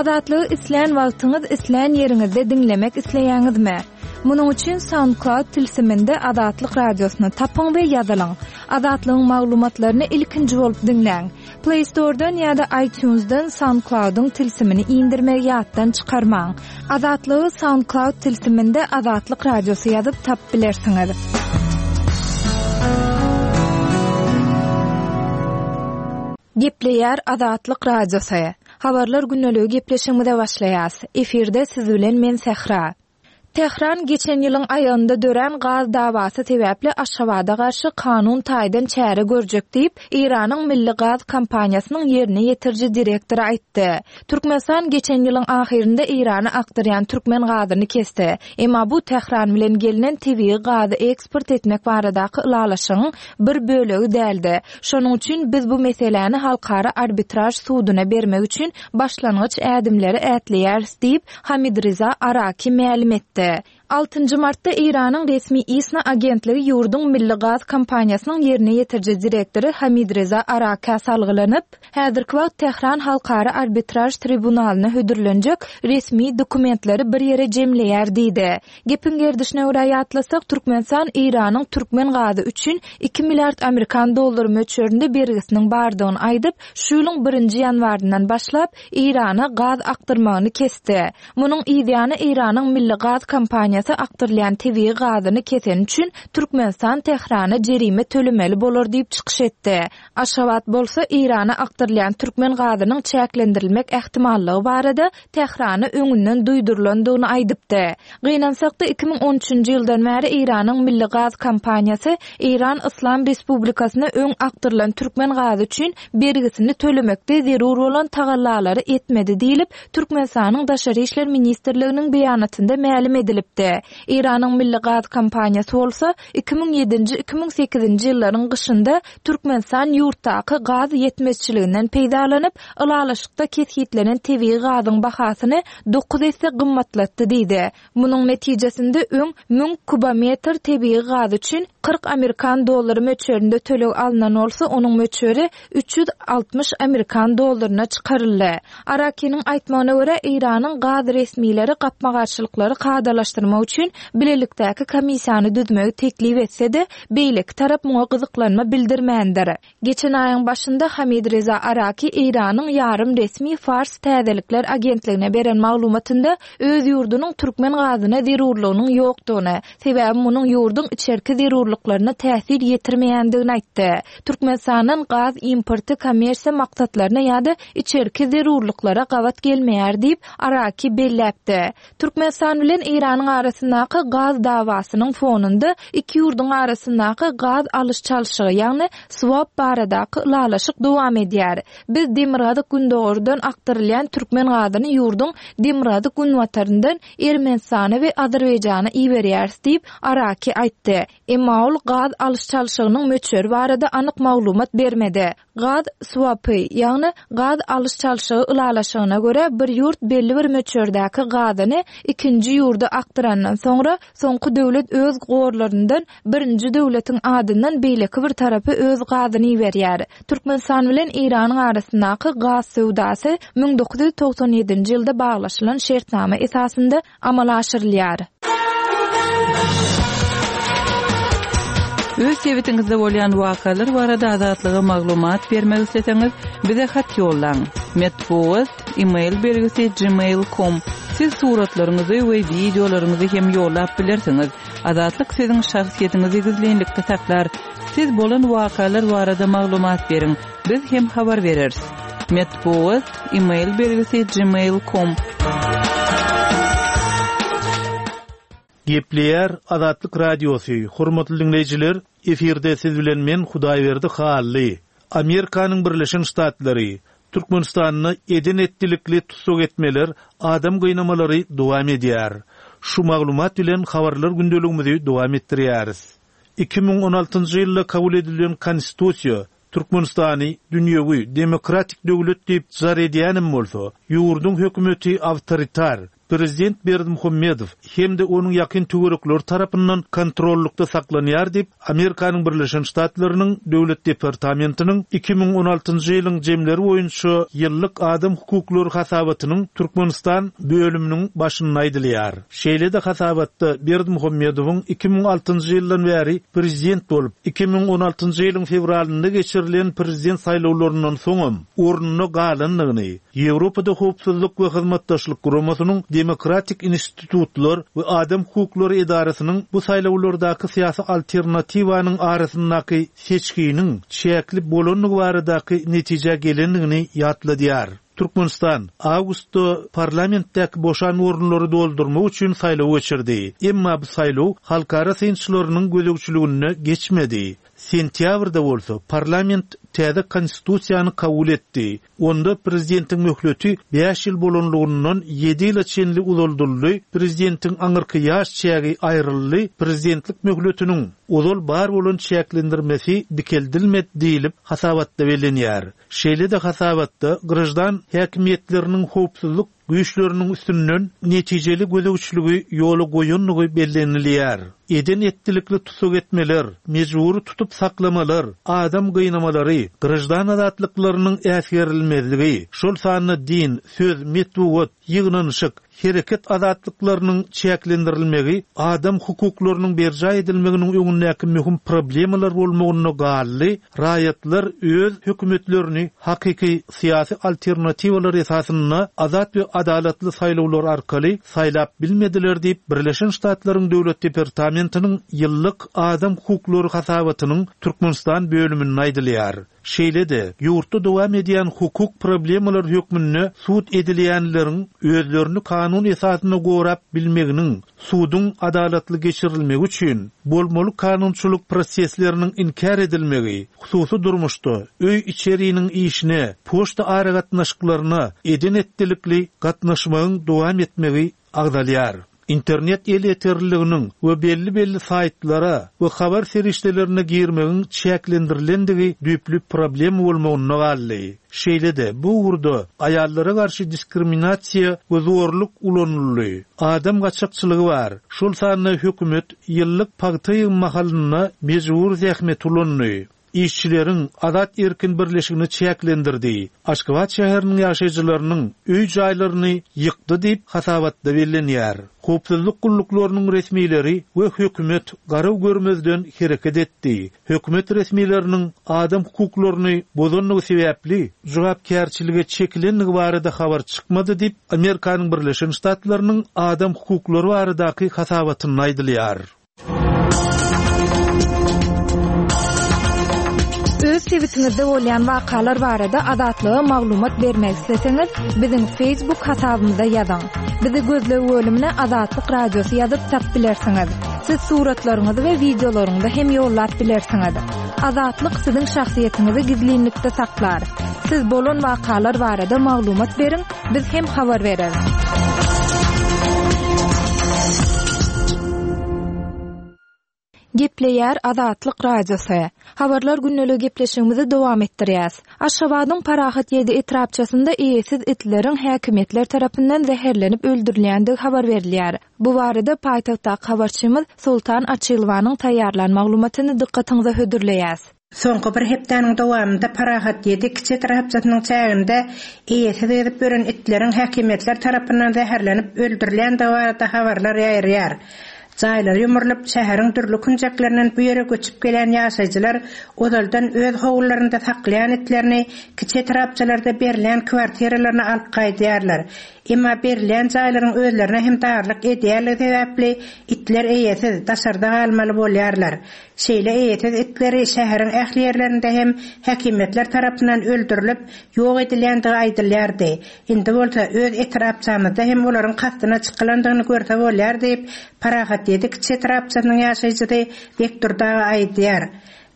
Azatlygy islän wagtyňyz, islän ýeriňizde diňlemek isleýäňizmi? Munuň üçin SoundCloud tilsiminde Azatlyk Radiosyny tapyň we ýazylyň. Azatlygyň maglumatlaryny ilkinji bolup diňläň. Play Store-dan ýa-da iTunes-dan SoundCloud-yň tilsimini indirmegi ýatdan çykarmaň. Azatlygy SoundCloud tilsiminde Azatlyk Radiosy ýazyp tapyp bilersiňiz. Gepleýär Azatlyk Radiosy. Habarlar gündeligi gepleşigimize başlaýas. Efirde siz bilen men Sähra. Tähran geçen ýylyň aýagynda dörän gaz dawasy sebäpli Aşgabada garşy kanun taýdan çäre görjek diýip, Eýranyň milli gaz kompaniýasynyň ýerine ýetiriji direktory aýtdy. Türkmenistan geçen ýylyň ahyrynda Eýrana akdyrýan türkmen gazyny kesdi. Emma bu Tähran bilen gelnen tebigy gazy eksport etmek baradaky ylalaşygyň bir bölegi däldi. Şonuň üçin biz bu meseläni halkara arbitraž suduna bermek üçin başlangyç ädimleri ätleýäris diýip, Hamidriza Araki mälim etdi. Altynjy martda Eýranyň resmi ISNA agentligi ýurduň milli gaz kompaniýasynyň ýerine ýetiriji direktory Hamidreza Arakä salgylanyp, häzirki wagt Tähran halkara arbitraž tribunalyna hödürlenjek resmi dokumentleri bir ýere jemleýär diýdi. Gepiň gerdişine görä ýatlasak, Türkmenistan Eýranyň türkmen gazy üçin iki milliard amerikan dollary möçberinde bergisiniň bardygyny aýdyp, şu ýylyň birinji ýanwaryndan başlap, Eýrana gaz akdyrmagyny kesdi. Munuň yzýany Eýranyň milli gaz kompaniýasy akdyrylýan tebigy gazyny keseni üçin Türkmenistan Tährana jerime tölemeli bolar diýip çykyş etdi. Aşgabat bolsa Eýrana akdyrylýan türkmen gazynyň çäklendirilmek ähtimallygy barada Tährana öňünden duýdurylandygyny aýdypdy. Gynansak-da, 2013-nji ýyldan bäri Eýranyň milli gaz kompaniýasy Eýran Yslam Respublikasyna öň akdyrylan türkmen gazy üçin bergisini tölemekde zerur bolan tagallalary etmedi diýlip, Türkmenistanyň Daşary işler ministrliginiň beýanatynda mälim edilipdi. Eýranyň milli gaz kompaniýasy bolsa, 2007-nji, 2008-nji ýyllaryň gyşynda Türkmenistan ýurtdaky gaz ýetmezçiliginden peýdalanyp, ylalaşykda kesgitlenen tebigy gazyň bahasyny dokuz esse gymmatlatdy diýdi. Munuň netijesinde öň müň kubometr tebigy gaz üçin 40 amerikan dollary möçberinde töleg alnan bolsa, onuň möçberi 360 amerikan dollaryna çykaryldy. Arakiniň aýtmagyna görä, Eýranyň gaz resmileri gapma-garşylyklary kadalaşdyrmak üçin bilelikdäki komissiýany düzmegi teklip etse-de, beýleki tarap muňa gyzyklanma bildirmändir. Geçen aýyň başynda Hamid Reza Araki Eýranyň ýarym resmi Fars täzelikler agentligine beren maglumatynda öz ýurdunyň türkmen gazyna zerurlygynyň ýokdugyny, sebäbi munuň ýurduň içerki zerurlyklaryna täsir ýetirmeýändigini aýtdy. Türkmenistandan gaz importy kommersiýa maksatlaryna ýa-da içerki zerurlyklara gabat gelmeýär diýip, Araki belläpdi. Türkmenistan bilen Eýranyň arasyndaky gaz dawasynyň fonunda iki ýurduň arasyndaky gaz alyş-çalşygy, ýagny swap baradaky ylalaşyk dowam edýär. Biz demirgazyk-gündogardan akdyrylýan türkmen gazyny ýurduň demirgazyk-günbataryndan Ermenistana we Azerbaýjana iberýäris diýip, Araki aýtdy. Emma ol gaz alyş-çalşygynyň möçberi barada anyk maglumat bermedi. Gaz swapy, ýagny gaz alyş-çalşygy ylalaşygyna görä, bir ýurt belli bir möçberdäki gazyny ikinji ýurda akdyrandan soňra, soňky döwlet öz gorlaryndan birinji döwletiň adyndan beýleki bir tarapa öz gazyny iberýär. Türkmenistan bilen Eýranyň arasyndaky gaz söwdasy 1997-nji ýylda baglaşylan şertnama esasynda amala aşyrylýar. Öz sebitiňizde bolýan wakalar barada Azatlyga maglumat bermek isleseňiz, bize hat ýollaň. Metbugat, e-mail belgisi gmail com. Siz suratlaryňyzy we wideolaryňyzy hem ýollap bilersiňiz. Azatlyk siziň şahsyýetiňizi gizlinlikde saklar. Siz bolan wakalar barada maglumat beriň. Biz hem habar bereris. Metbugat, e-mail belgisi gmail com. Gepleýär Azatlyk Radiosy, Hormatly diňleýjiler, efirde siz bilen men Hudaýberdi Hally. Amerikanyň Birleşen Ştatlary, Türkmenistanda eden-etdilikli tussag etmeler, adam gynamalary dowam edýär. Şu maglumat bilen habarlar gündeligimizi dowam etdirýäris. 2016-njy ýylda kabul edilen Konstitusiýa Türkmenistany dünýewi, demokratik döwlet diýip jar edýänem bolsa, ýurduň hökümeti awtoritar. prezident Berdimuhamedow hem-de onuň ýakyn töwerekleri tarapyndan kontrollykda saklanýar diýip, Amerikanyň Birleşen Ştatlarynyň Döwlet departamentiniň 2016-njy ýylyň jemleri boýunça ýyllyk adam hukuklary hasabatynyň Türkmenistan bölüminiň başynda aýdylýar. Şeýle-de hasabatda Berdimuhamedowyň 2006-njy ýyldan bäri prezident bolup, 2016-njy ýylyň fewralynda geçirilen prezident saýlawlaryndan soňam ornunda galandygyny, Ýewropada Howpsuzlyk we Hyzmatdaşlyk Guramasynyň Demokratik institutlar we adam hukuklary edarasynyň bu saýlawlardaky syýasy alternatiwanyň arasyndaky seçginiň çäkli bolandygy baradaky netijä gelendigini ýatladýar. Türkmenistan awgustda parlamentdäki boşan orunlary doldurmak üçin saýlaw geçirdi. Emma bu saýlaw halkara synçylarynyň gözegçiliginde geçmedi. Sentýabrda bolsa parlament täze Konstitusiýany kabul etdi. Onda prezidentiň möhleti bäş ýyl bolanlygyndan ýedi ýyla çenli uzaldyldy, prezidentiň aňyrky ýaş çägi aýryldy, prezidentlik möhletiniň ozal bar bolan çäklendirmesi dikeldilmedi diýlip, hasabatda bellenýär. Şeýle-de hasabatda graždan häkimiýetleriniň howpsuzlyk güýçleriniň üstünden netijeli gözegçiligi ýola goýandygy bellenilýär. Eden-etdilikli tussag etmeler, mejbury tutup saklamalar, adam gynamalary, graždan azatlyklarynyň äsgerilmezligi, şol sanda din, söz, metbugat, ýygnanyşyk, hereket azatlyklarynyň çäklendirilmegi adam hukuklarynyň berjaý edilmeginiň öňündäki möhüm problemalar bolmagynda galdy, raýatlar öz hökümetlerini hakyky syýasy alternatiwalar esasynda azat we adalatly saýlawlar arkaly saýlap bilmediler diýip, Birleşen Ştatlaryň Döwlet departamentiniň ýyllyk adam hukuklary hasabatynyň Türkmenistan bölüminde aýdylýar. Şeýle-de, ýurtda dowam edýän hukuk problemalar hökmünde sud edilýänleriň özlerini kanun esasynda gorap bilmeginiň, suduň adalatly geçirilmegi üçin bolmaly kanunçylyk prosesleriniň inkär edilmegi, hususy durmuşda, öý-içeriniň işine, poçta aragatnaşyklaryna eden-etdilikli gatnaşmagyň dowam etmegi agzalýar. Internet elýeterliliginiň we belli-belli saýtlara we habar serişdelerine girmegiň çäklendirilendigi düýpli problema bolmagynda galdy. Şeýle-de, bu ugurda aýallara garşy diskriminasiýa we zorluk ulanyldy. Adam gaçakçylygy bar, şol sanda hökümet ýyllyk pagta ýygym mahalynda mejbury zähmeti ulandy. Işçileriň azat-erkin birleşigini çäklendirdi, Aşgabat şäheriniň ýaşaýjylarynyň öý-jaýlaryny ýykdy diýip, hasabatda bellenýär. Howpsuzlyk gulluklarynyň resmileri we hökümet garaw görmezden hereket etdi. Hökümet resmileriniň adam hukuklaryny bozandygy sebäpli jogapkärçilige çekilendigi barada habar çykmady diýip, Amerikanyň Birleşen Ştatlarynyň adam hukuklary baradaky hasabatynda aýdylýar. Öz sebitiňizde bolýan wakalar barada Azatlyga maglumat bermek isleseňiz, biziň Facebook hasabymyza ýazyň. Bizi gözleg bölümine Azatlyk Radiosy ýazyp tap bilersiňiz. Siz suratlaryňyzy we wideolaryňyzy hem ýollap bilersiňiz. Azatlyk siziň şahsyýetiňizi gizlinlikde saklar. Siz bolan wakalar barada maglumat beriň, Biz hem habar bereris. Gepleýär Azatlyk Radiosy. Habarlar gündeligi gepleşigimizi dowam etdirýäs. Aşgabadyň Parahat ýedi etrapçasynda eýesiz itleriň häkimiýetler tarapyndan zäherlenip öldürilýändigi habar berilýär. Bu barada paýtagtdaky habarçymyz Soltan Açylowanyň taýýarlan maglumatyny dykgatyňyza hödürleýäs. Soňky bir hepdäniň dowamynda Parahat ýedi kiçi etrapçasynyň çäginde eýesiz gezip ýören itleriň häkimiýetler tarapyndan zäherlenip öldürilýändigi barada habarlar ýaýraýar. Jaýlary ýumrulyp, şäheriň dürli künjeklerinden bu ýere göçüp gelýän ýaşaýjylar ozaldan öz howlularynda saklaýan itlerini kiçi etrapçalarda berilýän kwartiralaryna alyp gaýdýarlar. Emma berilýän jaýlaryň özlerine hem darlyk edýänligi sebäpli itler eýesiz, daşarda galmaly bolýarlar. Şeýle eýesiz itleri şäheriň ähli ýerlerinde hem häkimiýetler tarapyndan öldürilip, ýok edilýändigi aýdylýardy. Indi bolsa öz etrapçamyzda hem olaryň kastyna çykylandygyny görse bolýar diýip, Parahat ýedi kiçi etrapçasynyň ýaşaýjysy Bekdurdy aga aýdýar.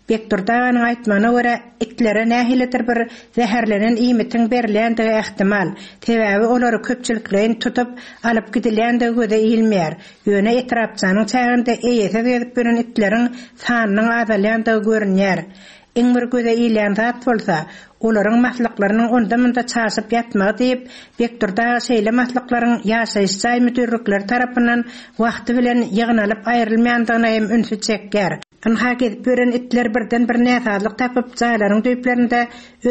Bekdurdy aganyň aýtmagyna görä, itlere nähilidir bir zäherlenen iýmitiň berilýändigi ähtimal. Sebäbi olary köpçülikleýin tutup, alyp gidilýändigi göze ilmeýär. Ýöne etrapçanyň çäginde eýesiz gezip ýören itleriň sanynyň azalýandygy görünýär. Iň bir göze ilýän zat bolsa, olaryň maslyklarynyň onda-munda çaşyp ýatmagy diýip, Bekdurdy aga şeýle maslyklaryň ýaşaýyş jaý müdirlikleri tarapyndan wagty bilen ýygnalyp aýrylmaýandygyna hem ünsi çekýär. Ynha gezip ýören itler birden bir näsazlyk tapyp, jaýlaryň düýplerinde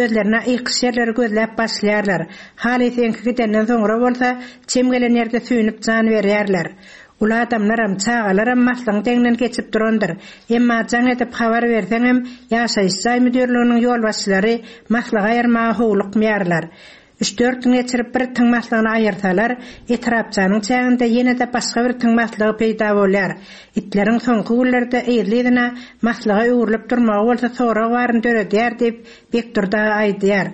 özlerine ykyş ýerleri gözläp başlaýarlar. Halys eňki gidenden soňra bolsa, çem gelen ýerde süýnüp jan berýärler. Uly adamlaram, çagalaram maslygyň deňinden geçip durandyr. Emma jaň edip habar berseňem, ýaşaýyş jaý müdirliginiň ýolbaşçylary maslygy aýyrmaga howlukmaýarlar. Üç-dört gün geçirip bir itiň maslygyny aýyrsalar, etrapçanyň çäginde ýene-de başga bir itiň maslygy peýda bolýar. Itleriň soňky günlerde yzly-yzyna maslyga öwrülip durmagy bolsa sorag baryny döredýär diýip, Bekdurdy aga aýdýar.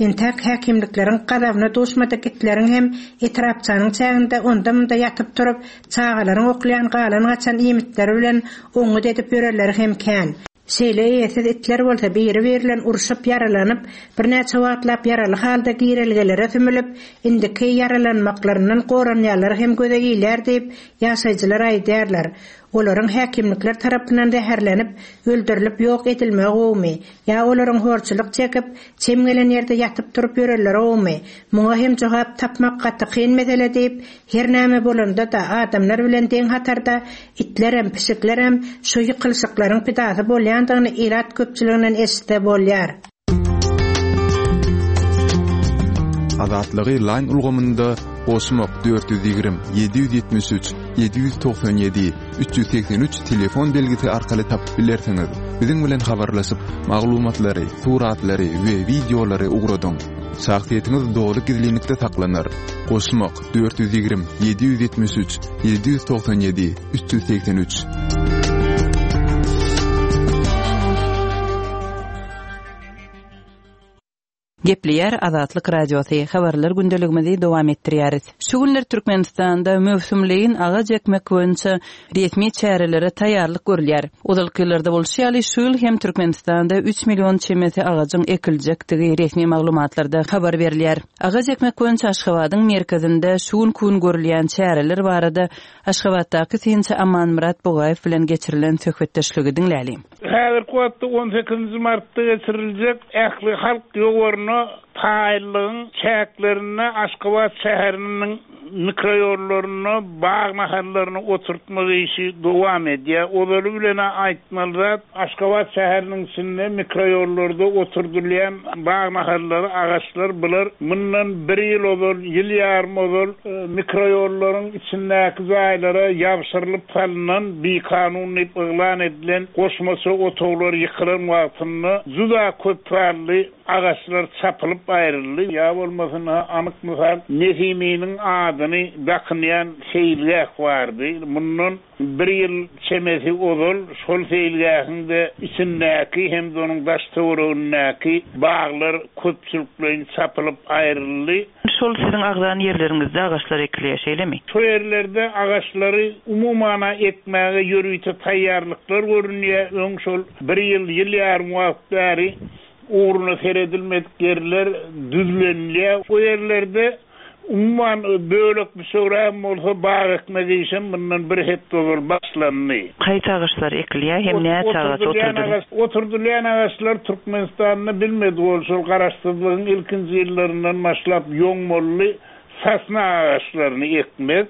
Entäk häkimlikleriň gazabyna duşmadyk itleriň hem etrapçanyň çäginde onda-munda ýatyp-turup, çagalaryň oklaýan galan-gaçan iýmitleri bilen oňňut edip ýörenleri hem kän. Şeýle eýesiz itler bolsa biri-biri bilen urşup, ýaralanyp, birnäçe wagtlap ýaraly halda girelgelere sümülip, indiki ýaralanmaklaryndan goranýanlary hem göze ilýär diýip, ýaşaýjylar aýdýarlar. Olaryň häkimlikler tarapyndan zäherlenip, öldürilip ýok edilmegi gowumy, ýa olaryň horçulyk çekip, çem gelen ýerde ýatyp-turup ýörenleri gowumy? Muňa hem jogap tapmak gaty kyn mesele diýip, her näme bolanda-da, adamlar bilen deň hatarda itlerem, pişiklerem şu ýykylyşyklaryň pidasy bolýandygyny ilat köpçüliginden eşitse bolýar. Azatlygy Line ulgamynda goşmak 420 773 797 383 telefon belgisi arkaly tapyp bilersiňiz. Biziň bilen habarlaşyp, maglumatlary, suratlary we wideolary ugradyň. Şahsyýetiňiz doly gizlinlikde saklanar. Goşmak 420 773 797 383. Gepleýär Azatlyk Radiosy, Habarlar gündeligimizi dowam etdirýäris. Şu günler Türkmenistanda möwsümleýin agaç ekmek boýunça resmi çärelere taýýarlyk görülýär. Ozalky ýyllarda bolşy ýaly, şu ýyl hem Türkmenistanda üç million çemesi agajyň ekiljekdigi resmi maglumatlarda habar berilýär. Agaç ekmek boýunça Aşgabadyň merkezinde şu günki gün görülýän çäreler barada Aşgabatdaky synçy Amanmyrat Bugaýew bilen geçirilen söhbetdeşligi diňläliň. Häzirki wagtda on sekizinji martda geçiriljek ählihalk ýowaryna taýynlygyň çäklerinde Aşgabat şäheriniň mikroýollarynda bag nahallaryny oturtmak işi dowam edýär. Ozaly bilen-ä aýtmaly zat, Aşgabat şäheriniň içinde mikroýollarda oturdylýan bag nahallary, agaçlar bular mundan bir ýyl ozal, ýyl ýarym ozal mikroýollaryň içindäki jaýlara ýabşyrylyp salnan, bikanun diýip yglan edilen goşmaça otaglar ýykylan wagtynda juda köp sanly agaçlar çapylyp aýryldy. Ýa bolmasa ynha anyk mysal, Nesiminiň adyny dakynýan seýilgäh bardy. Mundan Bir ýyl çemesi ozal şol seýilgähiň-de içindäki hem-de onuň daş-töweregindäki baglar köpçülikleýin çapylyp aýryldy. Şol siziň agzan ýerleriňizde agaçlar ekilýär, şeýlemi? Şo ýerlerde agaçlary umuman-a ekmäge ýörite taýýarlyklar görünýär. Öň şol bir ýyl, ýyl ýarym wagt bäri ugruna seredilmedik ýerler düzlenilýär. O ýerlerde Umuman, bölek-büçegrägem bolsa, bag ekmek işem mundan bir hepde ozal başlandy. Haýsy agaçlar ekilýär hem näçe agaç oturdylýar? Oturdylýan agaçlar Türkmenistanda bilmedik ol şol Garaşsyzlygyň ilkinji ýyllaryndan başlap ýoňmaly sosna agaçlaryny ekmek,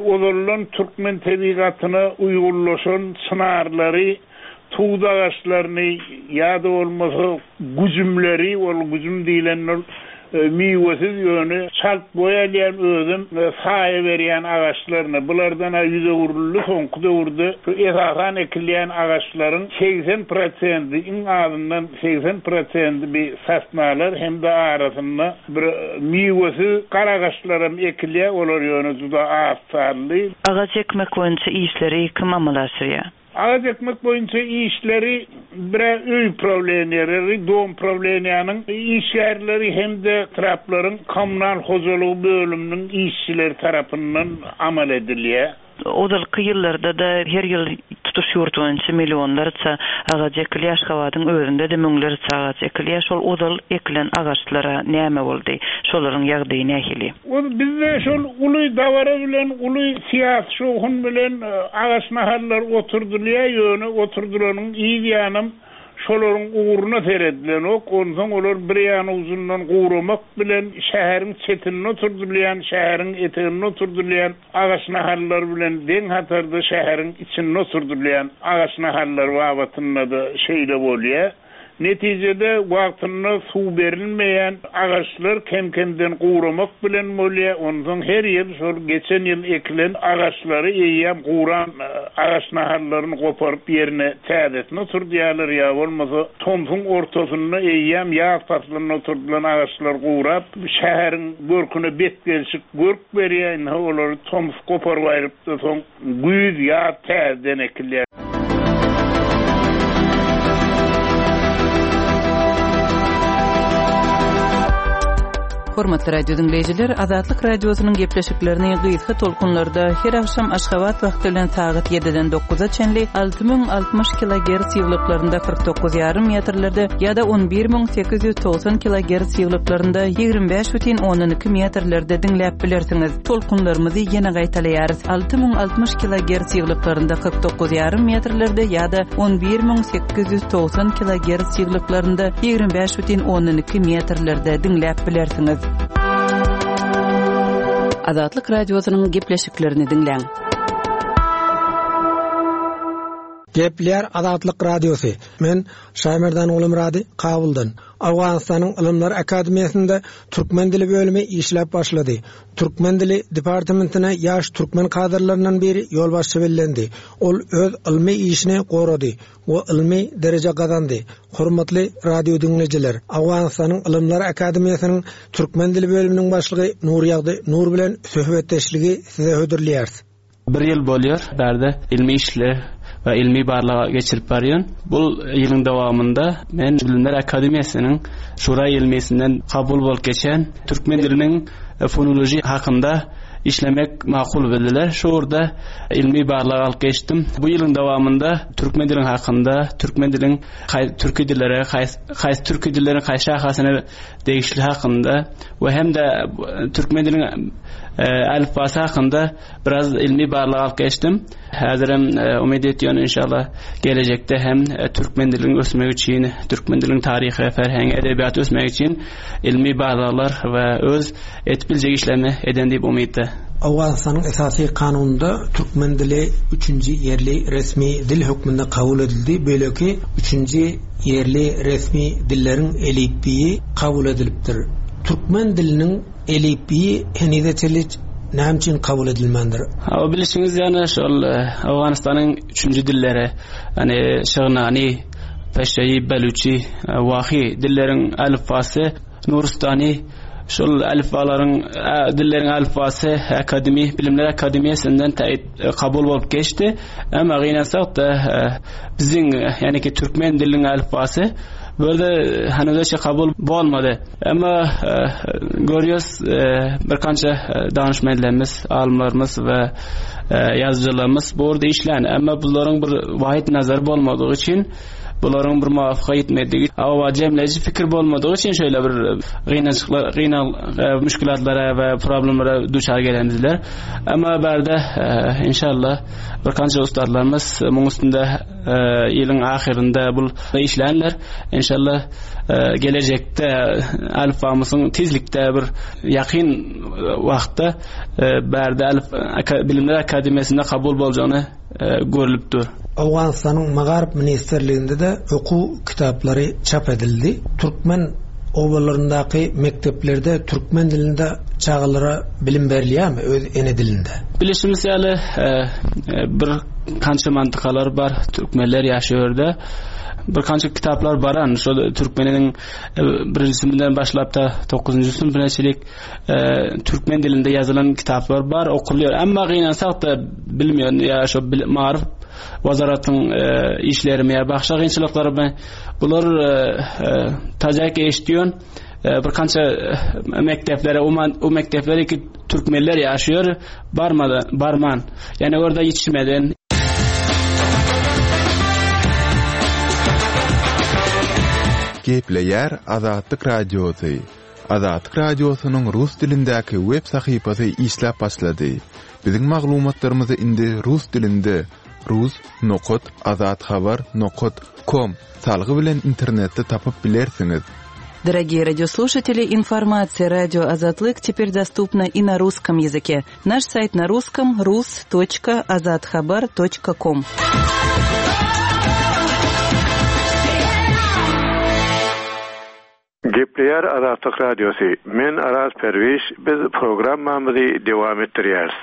ozaldan türkmen tebigatyna uýgunlaşan çynarlary, tut agaçlaryny ýa-da bolmasa güjümleri, ol güjüm diýlen ol miwesiz ýöne çalt boý alýan özem saýa berýän agaçlaryny, bulardan-a ýüz öwrüldi soňky döwürde şu esasan ekilýän agaçlaryň 80 prosendi, iň azyndan 80 prosendi bi sosnalar hem-de arasynda bir miwesiz garagaçlaram ekilýär, olar ýöne juda az sanly. Agaç ekmek boýunça işleri kim amala aşyrýar? Agaç ekmek boýunça işleri bir-ä öý prawleniýeleri, dom prawleniýanyň işgärleri hem-de etraplaryň kommunal hojalygy bölüminiň işçileri tarapyndan amal edilýär. Ozalky ýyllarda-da her ýyl tutuş ýurt boýunça millionlarça agaç ekilýär, Aşgabadyň özünde-de müňlerçe agaç ekilýär. Şol ozal ekilen agaçlara näme boldy? Şolaryň ýagdaýy nähili? Ol bizde şol uly dabara bilen, uly syýasy şowhun bilen agaç nahallary oturdylýar, ýöne oturdylanyň yz ýanam. Şolaryň ugruna seredilenok, onsoň olar bir ýan ujundan guramak bilen şäheriň çetinde oturdylýan, şäheriň eteginde oturdylýan agaç nahallary bilen deň hatarda şäheriň içinde oturdylýan agaç nahallary babatynda-da şeýle bolýar. Netijede, wagtynda suw berilmeýän agaçlar kem-kemden guramak bilen bolýar. Onsoň her ýyl şol geçen ýyl ekilen agaçlary eýýäm guran agaç nahallaryny goparyp ýerine täzesini oturdýarlar ýa bolmasa tomsuň ortasynda eýýäm ýaz paslynda oturdylan agaçlar gurap, şäheriň görküne betgelşik görk berýär. Indi olary tomus goparyp aýryp-da soň Güýz, ýaz täzeden ekilýär. Hormatly radio diňleýjiler, Azatlyk Radiosynyň gepleşiklerini gysga tolkunlarda her agşam Aşgabat wagty bilen sagat 7-den 9-a çenli 6060 kilogerts ýyglyklarynda 49,5 metrlerde ýa-da 11890 kilogerts ýyglyklarynda 25,2 metrlerde diňläp bilersiňiz. Tolkunlarymyzy ýene gaýtalaýarys, 6060 kilogerts ýyglyklarynda 49 ýarym metrlerde ýa-da 11890 kilogerts ýyglyklarynda 25 bütin ondan iki metrlerde diňläp bilersiňiz. Azatlyk Radiosynyň gepleşiklerini diňläň. Gepleýär Azatlyk Radiosy. Men Şaýmerdan Gulumyrady Kabuldan. Owganystanyň Ylymlar akademiýasynda türkmen dili bölümi işläp başlady. Türkmen dili departamentine ýaş türkmen kadrlaryndan biri ýolbaşçy bellendi. Ol öz ylmy işini gorady we ylmy dereje gazandy. Hormatly radio diňleýjiler, Owganystanyň Ylymlar akademiýasynyň türkmen dili bölüminiň başlygy Nurýagdy Nur bilen söhbetdeşligi size hödürleýäris. Bir ýyl bolýar, bärde ylmy işler we ylmy barlag geçirip barýan. Bu ýylyň dowamynda men Bilimler akademiýasynyň Şura ylmyýetinden kabul bolup geçen türkmen diliniň fonologiýa hakynda işlemek makul bildiler. Şu ugurda ylmy barlag alyp geçdim. Bu ýylyň dowamynda türkmen diliniň hakynda, türkmen diliniň türki dillere, haýsy türki dilleriň haýsy şahasyna degişli hakynda we hem-de türkmen diliniň elipbasy hakynda biraz ilmi barlag alyp geçdim. Häzirem umyt etýän inşallah gelejekde hem türkmen diliniň ösmegi üçin, türkmen diliniň taryhy, ferhengi, edebiýaty ösmegi üçin ilmi barlaglar we öz etip biljek işlerimi eden diýip umytda. Owganystanyň esasy kanunynda türkmen dili üçünji ýerli resmi dil hökmünde kabul edildi, beýleki üçünji ýerli resmi dilleriň elipbiýi kabul edilipdir. Türkmen diliniň elipbiýi henize çenli näme üçin kabul edilmändir? Hawa, bilşiňiz ýaly, şol Owganystanyň üçünji dilleri, ýagny şygnany, peşeýi, belüçi, wahy dilleriň elipbasy Nurustany şol elipbalaryň dilleriň elipbasy akademi, Bilimler akademiýasyndan täýit kabul bolup geçdi. Emma gynansak-da, biziň, ýagny ki türkmen diliniň elipbasy bu ýerde henizçe kabul bolmady. Emma görýäs, bir kança danyşmenlerimiz, alymlarymyz we ýazyjylarymyz bu ugurda işlän. Emma bularyň bir wahyt nazary bolmadygy üçin, bularyň bir muwafyka ýetmedigi, hawa jemleýji pikir bolmadygy üçin şeýle bir gynançyklar, gynal müşgülatlara we problemlere duçar gelendirler. Emma bärde inşallah bir kança ustadlarymyz muň üstünde ýylyň ahyrynda bul işlänler. Inşallah gelejekde alfamyzyň tizlikde bir ýakyn wagtda bärde alf bilimler akademiýasynda kabul boljagyny görlüp dur. Owganystanyň Magaryf ministrliginde-de okuw kitaplary çap edildi. Türkmen obalaryndaky mekdeplerde türkmen dilinde çagalara bilim berilýärmi, öz ene dilinde? Bilişimiz ýaly, bir kança mantykalar bar, türkmenler ýaşaýar ýerde. Bir kança kitaplar baran, şol türkmeniniň birinji synpyndan başlap ta dokuzynjy synpyna çenli türkmen dilinde ýazylan kitaplar bar, okulýar. Emma gynansak-da bilmeýän ýa şo maryf wazaratyň işlerimi ýa başga kynçylyklarymy bular tajak eşitýän bir kança mekdeplere, o mekdeplere ki türkmenler ýaşaýar, barmada, barman. Ýani orada ýetişmeden. Gepleýär Azatlyk Radiosy. Azatlyk Radiosynyň rus dilindäki web sahypasy işläp başlady. Biziň maglumatlarymyzy indi rus dilinde. Rus nokat azathabar nokat kom salgy bilen internetde tapyp bilersiňiz. Дорогие радиослушатели, информация радио Азатлык теперь доступна и на русском языке. Наш сайт на русском rus.azathabar.com. Gepleýär Azatlyk Radiosy, Men Araz Perwiş, biz programmamyzy dowam etdirýäris.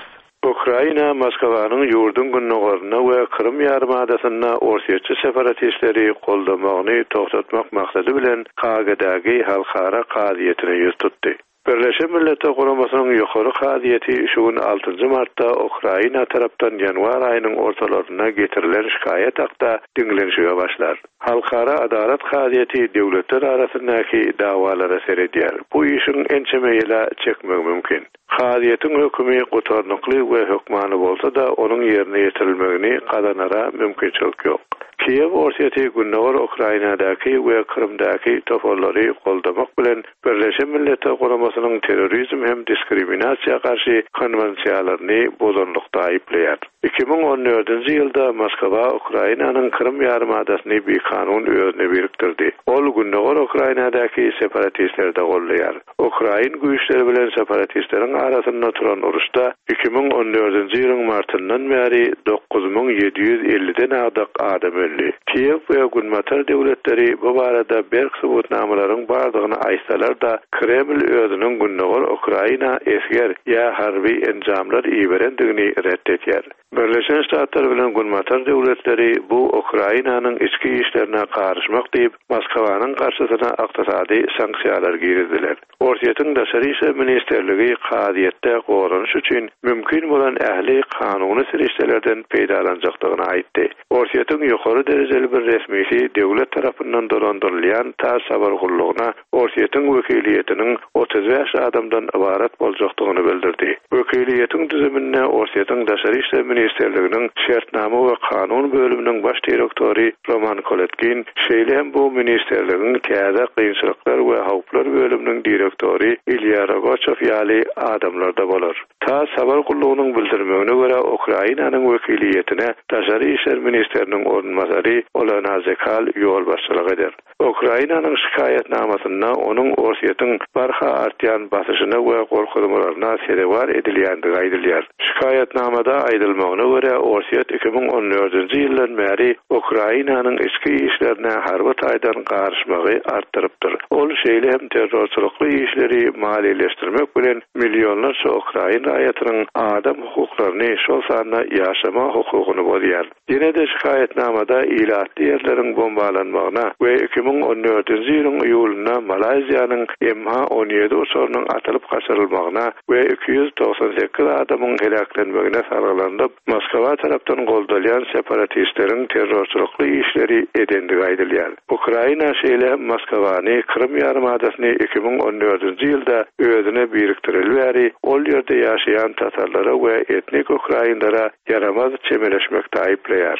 Ukraina Moskwanyň ýurduň gündogarynda we Krym ýarymadasynda orsýetçi separatistleri goldamagyny togtatmak maksady bilen Haagadagy Halkara kazyýetine ýüz tutdy. Birleşen Milletler Guramasynyň Ýokary kazyýeti şu gün altynjy martda Ukraina tarapdan ýanwar aýynyň ortalarynda getirilen şikaýat hakda diňlenişige başlar. Halkara adalat kazyýeti döwletler arasyndaky dawalara seredýär. Bu işiň ençeme ýyla çekmegi mümkin. Kazyýetiň hökümi gutarnykly we hökmany bolsa-da, onuň ýerine ýetirilmegini gazanara mümkinçilik ýok. Kiýew Orsýeti gündogar Ukrainadaky we Krymdaky toparlary goldamak bilen Birleşen Milletler Guramasynyň terrorizm hem diskriminasiýa garşy konwensiýalaryny bozanlykda aýyplaýar. 2014-nji ýylda Moskwa Ukrainanyň Krym ýarymadasyny bikanun özüne birikdirdi. Ol gündogar Ukrainadaky separatistleri-de goldaýar. Ukrain güýçleri bilen separatistleriň arasynda turan uruşda 2014-nji ýylyň martyndan bäri 9750-den agdyk adam öldi. Kiýew we Günbatar döwletleri bu barada berk subutnamalaryň bardygyny aýtsalar-da, Kreml özüniň gündogar Ukraina esger ýa harby enjamlar iberendigini ret edýär. Birleşen Ştatlar bilen Günbatar döwletleri bu Ukrainanyň içki işlerine garyşmak diýip, Moskwanyň garşysyna ykdysady sanksiýalar girizdiler. Orsýetiň Daşary işler ministrligi kazyýetde goranyş üçin mümkin bolan ähli kanuny serişdelerden peýdalanjakdygyny aýtdy. Orsýetiň ýokary derejeli bir resmisi döwlet tarapyndan dolandyrylýan TASS habar gullugyna Orsýetiň wekiliýetiniň 35 adamdan ybarat boljakdygyny bildirdi. Wekiliýetiň düzüminde Orsýetiň Daşary işler ministrliginiň şertnama we kanun bölüminiň baş direktory Roman Koletkin, şeýle hem bu ministrligiň täze kynçylyklar we howplar bölüminiň direktory Ilýa Rogaçow ýaly adamlar-da bolar. TASS habar gullugynyň bildirmegine görä, Ukrainanyň wekiliýetine daşary işler ministriniň orunbasary Olena Zekal ýolbaşçylyk eder. Ukrainanyň şikaýatnamasynda onuň Orsýetiň barha artýan basyşyna we gorkuzmalaryna sezewar edilýändigi aýdylýar. Şikaýatnamada aýdylmagyna görä, Orsýet 2014-nji ýyldan bäri Ukrainanyň içki işlerine harby taýdan garyşmagy artdyrypdyr. Ol şeýle hem terrorçylykly işleri maliýeleşdirmek bilen millionlarça ukrain raýatynyň adam hukuklaryny, şol sanda ýaşama hukugyny bozýar. Ýene-de şikaýatnamada ilatly ýerleriň bombalanmagyna we 2014-nji ýylyň iýulynda Malaýziýanyň MH 17 uçarynyň atylyp gaçyrylmagyna we 298 adamyň heläklenmegine salgylanylyp, Moskwa tarapdan goldalýan separatistleriň terrorçylykly işleri edendigi aýdylýar. Ukraina şeýle hem Moskwany Krym ýarymadasyny 2014-nji ýylda özüne birikdireli bäri ol ýerde ýaşaýan tatarlara we etnik ukrainlere ýaramaz çemeleşmekde aýyplaýar.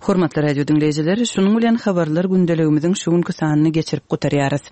Hormatly radio diňleýjiler, şunuň bilen habarlar gündeligimiziň şu günki sanyny geçirip gutarýarys.